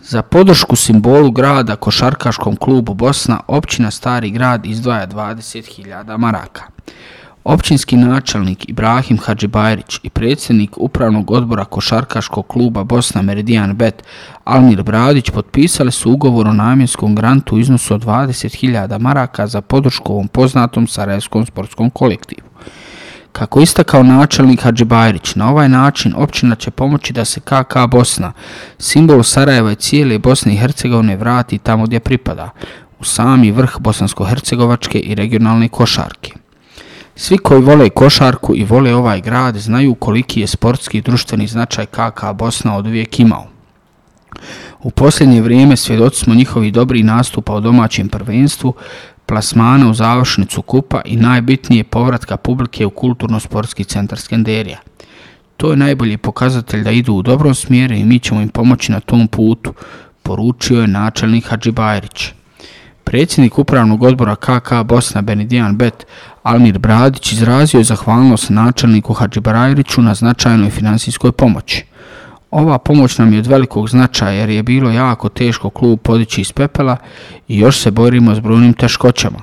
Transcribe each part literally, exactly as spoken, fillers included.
Za podršku simbolu grada Košarkaškom klubu Bosna, općina Stari Grad izdvaja dvadeset hiljada maraka. Općinski načelnik Ibrahim Hadžibajrić i predsjednik Upravnog odbora Košarkaškog kluba Bosna Meridian Bet Almir Bradić potpisali su ugovor o namjenskom grantu u iznosu od dvadeset hiljada maraka za podršku ovom poznatom sarajevskom sportskom kolektivu. Kako istakao načelnik Hadžibajrić, na ovaj način općina će pomoći da se K K Bosna, simbol Sarajeva i cijele Bosne i Hercegovine, vrati tamo gdje pripada, u sami vrh bosansko-hercegovačke i regionalne košarke. Svi koji vole košarku i vole ovaj grad znaju koliki je sportski i društveni značaj K K Bosna oduvijek imao. U posljednje vrijeme svjedoci smo njihovih dobrih nastupa u domaćem prvenstvu, plasmana u završnicu kupa i najbitnije povratka publike u kulturno-sportski centar Skenderija. To je najbolji pokazatelj da idu u dobrom smjeru i mi ćemo im pomoći na tom putu, poručio je načelnik Hadžibajrić. Predsjednik Upravnog odbora K K Bosna Meridian Bet Almir Bradić izrazio je zahvalnost načelniku Hadžibajriću na značajnoj financijskoj pomoći. Ova pomoć nam je od velikog značaja jer je bilo jako teško klub podići iz pepela i još se borimo s brojnim teškoćama.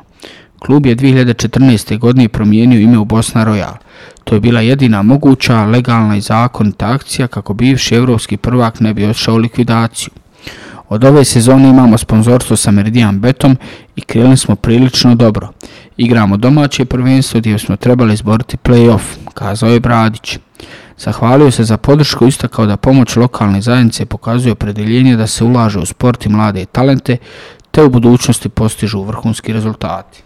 Klub je dvije hiljade četrnaeste. godine promijenio ime u Bosna Royal. To je bila jedina moguća, legalna i zakonita akcija kako bivši evropski prvak ne bi odšao u likvidaciju. Od ove sezone imamo sponzorstvo sa Meridian Betom i krenuli smo prilično dobro. Igramo domaće prvenstvo gdje smo trebali izboriti play-off, kazao je Bradić. Zahvalio se za podršku i istakao da pomoć lokalne zajednice pokazuje opredjeljenje da se ulaže u sport i mlade talente, te u budućnosti postižu vrhunski rezultati.